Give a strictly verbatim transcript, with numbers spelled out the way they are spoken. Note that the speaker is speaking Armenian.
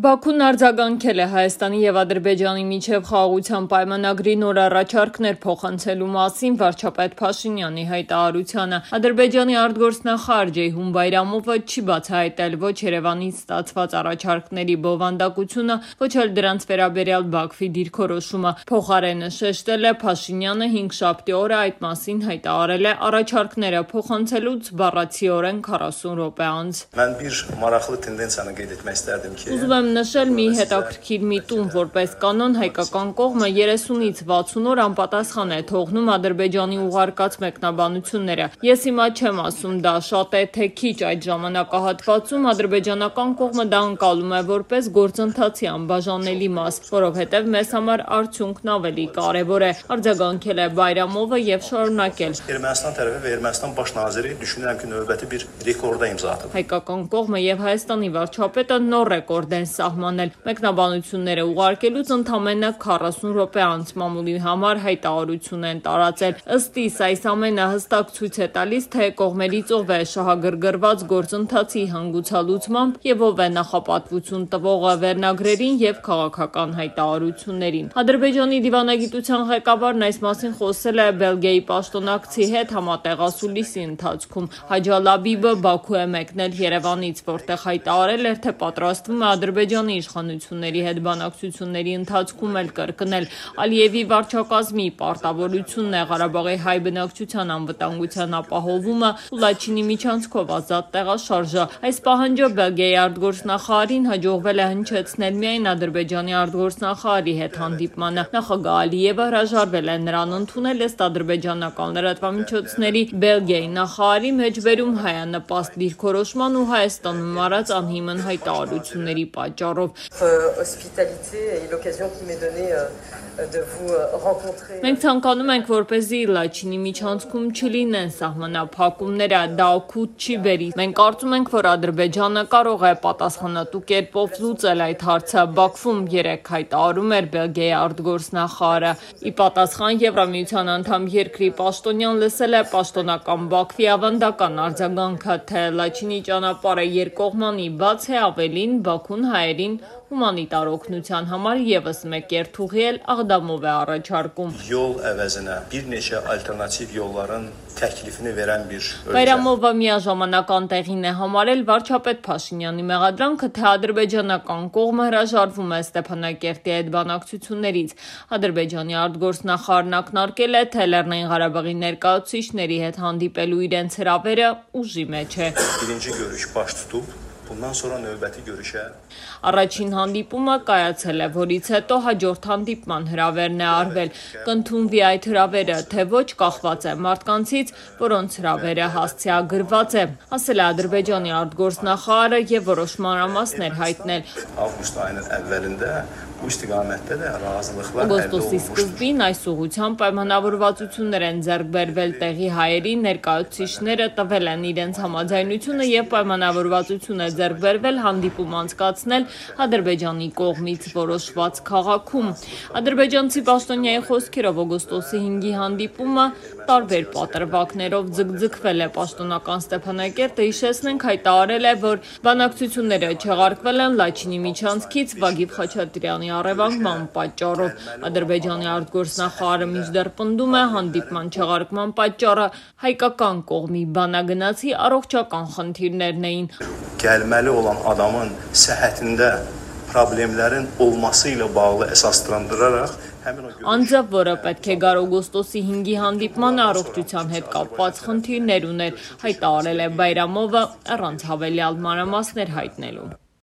Բաքուն արձագանքել է Հայաստանի և Ադրբեջանի միջև խաղաղության պայմանագրի նոր առաջարկներ փոխանցելու մասին վարչապետ Փաշինյանի հայտարարությանը։ Ադրբեջանի արտգործնախարար Ceyhun Bayramova չի բացահայտել ոչ Երևանից ստացված առաջարկների բովանդակությունը, ոչ էլ դրանց վերաբերյալ Բաքվի դիրքորոշումը։ Փոխարենը շեշտել է Փաշինյանը հինգշաբթի օրը այդ մասին հայտարարել է առաջարկները փոխանցելուց բառացիորեն քառասուն րոպե անց։ Mən bir maraqlı tendensiyanı qeyd etmək istərdim ki, Ուզում եմ նշել մի հետաքրքիր միտում, որպես կանոն հայկական կողմը երեսունից վաթսուն օր անպատասխան է թողնում Ադրբեջանի ուղարկած մեկնաբանությունները։ Ես հիմա չեմ ասում դա շատ է թե քիչ, այդ ժամանակահատվածում ադրբեջանական կողմը դա ընկալում է որպես գործընթացի անբաժանելի մաս, որովհետև մեզ համար արդյունքն ավելի կարևոր է, արձագանքել է Բայրամովը եւ շարունակել։ Ermənistan tərəfi və Ermənistan baş naziri düşünürəm ki, növbəti bir rekorda imza atıb։ Հայկական կողմը եւ Հայաստանի վարչապետը նոր ռեկորդ են սահմանել։ Մեկնաբանությունները ուղարկելուց ընդամենը քառասուն րոպե անց մամուլի համար հայտարարություն են տարածել։ Ըստ իս այս ամենը հստակ ցույց է տալիս, թե կողմերից ով է շահագրգռված գործընթացի հանգուցալուծմամբ եւ ով է նախապատվություն տվողը վերնագրերին եւ քաղաքական հայտարարություններին։ Ադրբեջանի դիվանագիտության ղեկավարն այս մասին խոսել է Բելգիայի պաշտոնակցի հետ համատեղ ասուլիսի ընթացքում։ Հաջալաբիբը Բաքու է մեկնել Երևանից, որտեղ հայտարարել էր, թե պատրաստվում է Ադրբեջանի իշխանությունների հետ բանակցությունների ընթացքում էլ կրկնել Ալիևի վարչակազմի պարտավորությունն է Ղարաբաղի հայ բնակչության անվտանգության ապահովումը ու Լաչինի միջանցքով ազատ տեղաշարժը։ Այս պահանջը Բելգիայի արտգործնախարարին հաջողվել է հնչեցնել միայն Ադրբեջանի արտգործնախարարի հետ հանդիպմանը։ Նախագահ Ալիևը հրաժարվել է նրան ընդունել ըստ ադրբեջանական լրատվամիջոցների Բելգիայի նախարարի մեջբերում հայանպաստ դիրքորոշման ու Հայաստանում արած անհիմն հայտարարությունների պատճառով։ Մենք ցանկանում ենք, որպեսզի Լաչինի միջանցքում չլինեն սահմանափակումները, դա օգուտ չի բերի։ Մենք կարծում ենք, որ Ադրբեջանը կարող է պատասխանատու կերպով լուծել այդ հարցը։ Բաքվում երեկ հայտարարում էր Բելգիայի արտգործնախարարը։ Ի պատասխան Եվրամիության անդամ երկրի պաշտոնյան լսել է պաշտոնական Բաքվի ավանդական արձագանքը, թե Լաչինի ճանապարհը երկկողմանի բաց է, ավելին Բաքուն հայերին հումանիտար օգնության համար եւս մեկ երթուղի էլ Աղդամով է առաջարկում։ Yol əvəzinə bir neçə alternativ yolların təklifini verən bir Բայրամովը միաժամանակ անտեղին է համարել վարչապետ Փաշինյանի մեղադրանքը, թե ադրբեջանական կողմը հրաժարվում է Ստեփանակերտի հետ բանակցություններից։ Ադրբեջանի արտգործնախարարն ակնարկել է, թե Լեռնային Ղարաբաղի ներկայացուցիչների հետ հանդիպելու իրենց հրավերը ուժի մեջ է։ Birinci görüş baş tutub, bundan sonra növbəti görüşə Առաջին հանդիպումը կայացել է, որից հետո հաջորդ հանդիպման հրավերն է արվել։ Կընդունվի այդ հրավերը, թե ոչ կախված է մարդկանցից, որոնց հրավերը հասցեագրված է, ասել է Ադրբեջանի արտգործնախարարը եւ որոշ մանրամասներ հայտնել։ Ավգուստ ayının əvvəlində bu istiqamətdə də razılıqlar əldə Օգոստոսի olunmuşdur։ սկզբին այս ուղղությամբ պայմանավորվածություններ են ձեռք բերվել տեղի հայերի ներկայացուցիչները տվել են իրենց համաձայնությունը եւ պայմանավորվածություն է ձեռք բերվել հանդիպում անցկացնել Ադրբեջանի կողմից որոշված քաղաքում։ Ադրբեջանցի պաշտոնյայի խոսքերով օգոստոսի հինգի հանդիպումը տարբեր պատրվակներով ձգձգվել է պաշտոնական Ստեփանակերտը հիշեցնենք հայտարարել է, որ բանակցությունները չեղարկվել են Լաչինի միջանցքից Վագիվ Խաչատրյանի առևանգման պատճառով։ Ադրբեջանի արտգործնախարարը մինչդեռ պնդում է հանդիպման չեղարկման պատճառը հայկական կողմի բանագնացի առողջական խնդիրներն էին։ Gəlməli olan adamın səhhətində problemlərin olması ilə bağlı əsaslandıraraq həmin o Անձը, որը պետք է գար օգոստոսի հինգի հանդիպմանը առողջության հետ կապված խնդիրներ ուներ, հայտարարել է Բայրամովը առանց հավելյալ մանրամասներ հայտնելու։